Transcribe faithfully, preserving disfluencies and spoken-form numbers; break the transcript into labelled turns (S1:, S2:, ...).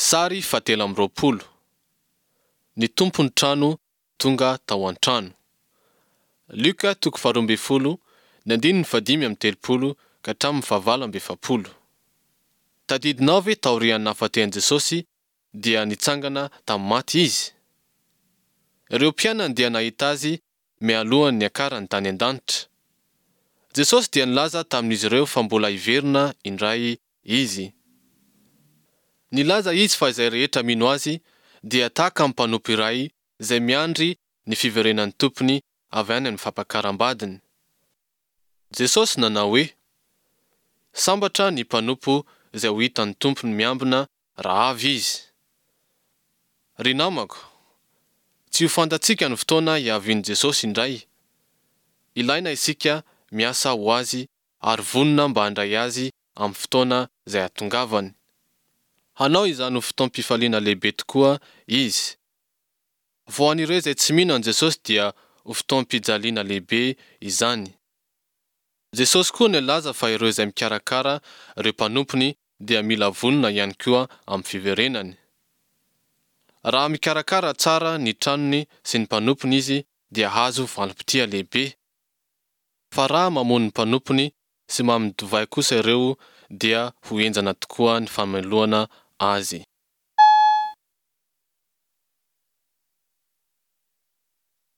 S1: Sary fahatelo amby roapolo. Ny tompon'ny trano tonga tao an-trano. Lioka toko faharoa ambin'ny folo, ny andininy fahadimy amby telopolo ka hatramin'ny fahavalo amby efapolo. Tadidinao ve taorian'ny nahafatehan'i Jesosy dia nitsangana tamin'ny maty Izy? Ireo mpianany dia nahita Azy mialohan'ny niakarany tany an-danitra. Jesosy dia nilaza tamin'izy ireo fa mbola hiverina indray Izy. Nilaza Izy fa izay rehetra mino Azy dia tahaka ny mpanompo iray izay miandry ny fiverenan'ny tompony avy any amin'ny fampakaram-badiny. Jesosy nanao hoe, Sambatra ny mpanompo izay ho hitan'ny tompony miambina raha avy izy. Ry namako, tsy ho fantatsika ny fotoana hiavian'i Jesosy indray. Ilaina isika miasa ho Azy ary vonona mba handray Azy amin'ny fotoana izay hahatongavany. Hanao izany ho fotoam-pifaliana lehibe tokoa Izy. Fa ho an'ireo izay tsy mino an'i Jesosy dia ho fotoam-pijaliana lehibe izany. Jesosy koa nilaza fa ireo izay mikarakara ireo mpanompony dia mila vonona ihany koa amin'ny fiverenany. Raha mikarakara tsara ny tranony sy ny mpanompony izy dia hahazo valim-pitia lehibe. Fa raha mamono ny mpanompony sy mamin'ny divay kosa ireo dia ho henjana tokoa ny famelohana azy.